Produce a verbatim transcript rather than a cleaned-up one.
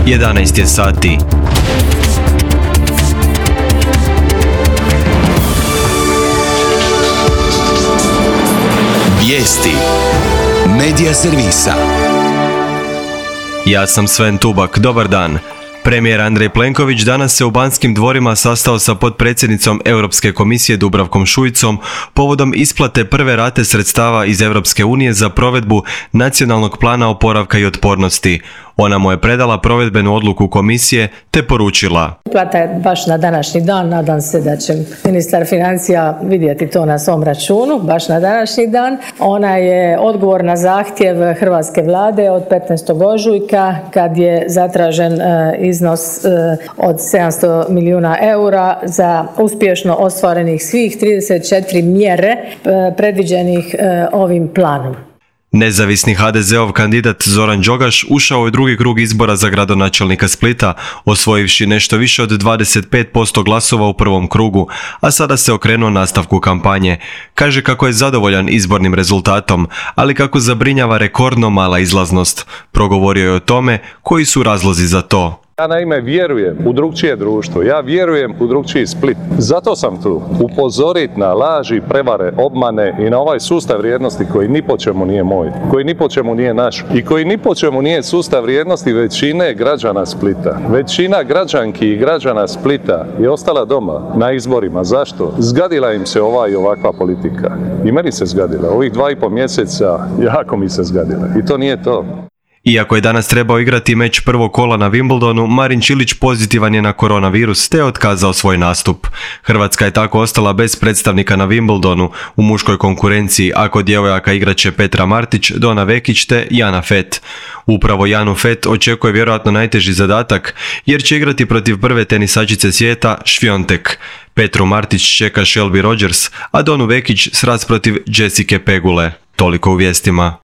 jedanaest je sati. Vijesti Medija servisa. Ja sam Sven Tubak, dobar dan. Premijer Andrej Plenković danas se u Banskim dvorima sastao sa potpredsjednicom Europske komisije Dubravkom Šuicom povodom isplate prve rate sredstava iz Europske unije za provedbu Nacionalnog plana oporavka i otpornosti. Ona mu je predala provedbenu odluku komisije te poručila: Isplata je baš na današnji dan, nadam se da će ministar financija vidjeti to na svom računu, baš na današnji dan. Ona je odgovor na zahtjev hrvatske vlade od petnaestog ožujka kad je zatražen iznos od sedamsto milijuna eura za uspješno ostvarenih svih trideset četiri mjere predviđenih ovim planom. Nezavisni ha de zeov kandidat Zoran Đogaš ušao je u drugi krug izbora za gradonačelnika Splita, osvojivši nešto više od dvadeset pet posto glasova u prvom krugu, a sada se okrenuo nastavku kampanje. Kaže kako je zadovoljan izbornim rezultatom, ali kako zabrinjava rekordno mala izlaznost. Progovorio je o tome koji su razlozi za to. Ja naime vjerujem u drugčije društvo, ja vjerujem u drugčiji Split. Zato sam tu, upozoriti na laži, prevare, obmane i na ovaj sustav vrijednosti koji ni po čemu nije moj, koji ni po čemu nije naš i koji ni po čemu nije sustav vrijednosti većine građana Splita. Većina građanki i građana Splita je ostala doma na izborima. Zašto? Zgadila im se ova i ovakva politika. I meni se zgadila. Ovih dva i pol mjeseca jako mi se zgadila. I to nije to. Iako je danas trebao igrati meč prvog kola na Wimbledonu, Marin Čilić pozitivan je na koronavirus te je otkazao svoj nastup. Hrvatska je tako ostala bez predstavnika na Wimbledonu. U muškoj konkurenciji, a kod djevojaka igraće Petra Martić, Dona Vekić te Jana Fett. Upravo Janu Fett očekuje vjerojatno najteži zadatak, jer će igrati protiv prve tenisačice svijeta Šviontek. Petru Martić čeka Shelby Rogers, a Donu Vekić sraz protiv Jessike Pegule. Toliko u vijestima.